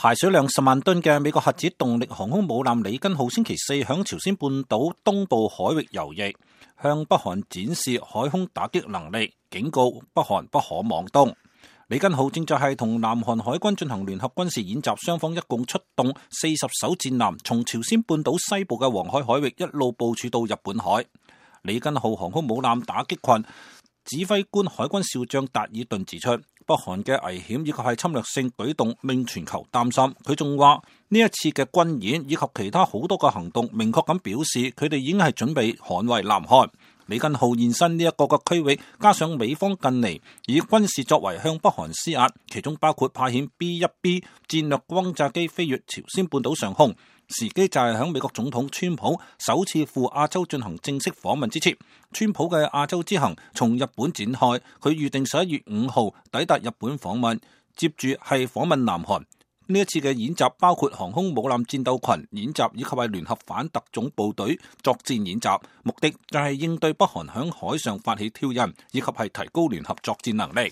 排水量10萬噸嘅美國核子動力航空母艦里根號星期四響朝鮮半島東部海域游弋，向北韓展示海空打擊能力，警告北韓不可妄動。里根號正在係同南韓海軍進行聯合軍事演習，雙方一共出動40艘戰艦，從朝鮮半島西部嘅黃海海域一路部署到日本海。里根號航空母艦打擊群指揮官海軍少將達爾頓指出，北韓嘅危險以及係侵略性舉動令全球擔心。佢仲話呢一次嘅軍演以及其他好多個行動，明確咁表示佢哋已經係準備捍衛南韓。里根號現身呢一個區域，加上美方近嚟以軍事作為向北韓施壓，其中包括派遣 B-1B 戰略轟炸機飛越朝鮮半島上空，時機就係響美國總統川普首次赴亞洲進行正式訪問之前。川普嘅亞洲之行從日本展開，佢預定11月5號抵達日本訪問，接住係訪問南韓。呢一次嘅演習包括航空母艦戰鬥群演習以及係聯合反特種部隊作戰演習，目的就係應對北韓響海上發起挑釁，以及係提高聯合作戰能力。